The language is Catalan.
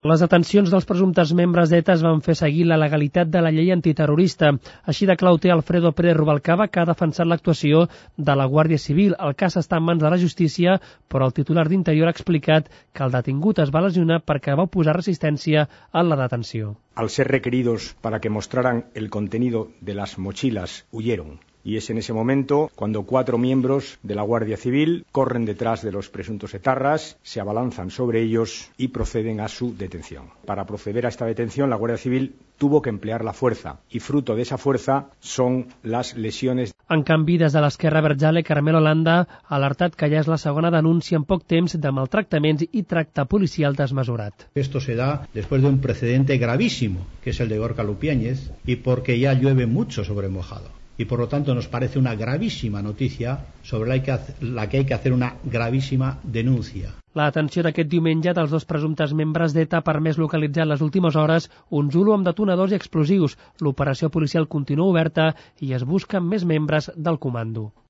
Les detencions dels presumptes membres d'ETA es van fer seguir la legalitat de la llei antiterrorista. Així de clar ho té Alfredo Pérez Rubalcaba, que ha defensat l'actuació de la Guàrdia Civil. El cas està en mans de la justícia, però el titular d'Interior ha explicat que el detingut es va lesionar perquè va oposar resistència en la detenció. Al ser requeridos para que mostraran el contenido de las mochilas, huyeron. Y es en ese momento cuando 4 miembros de la Guardia Civil corren detrás de los presuntos etarras, se abalanzan sobre ellos y proceden a su detención. Para proceder a esta detención, la Guardia Civil tuvo que emplear la fuerza y fruto de esa fuerza son las lesiones. En canvi, des de l'Esquerra Berjale, Carmelo Landa ha alertat que ja és la segona denúncia en poc temps de maltractaments i tracte policial desmesurat. Esto se da después de un precedente gravísimo, que es el de Gorka Lupiáñez, y porque ya llueve mucho sobre mojado. Y por lo tanto nos parece una gravísima noticia sobre la que hay que hacer una gravísima denuncia. La detenció d'aquest diumenge dels 2 presumptes membres d'ETA ha permès localitzar en les últimes hores un Zulu amb detonadors i explosius. L'operació policial continua oberta i es busquen més membres del comando.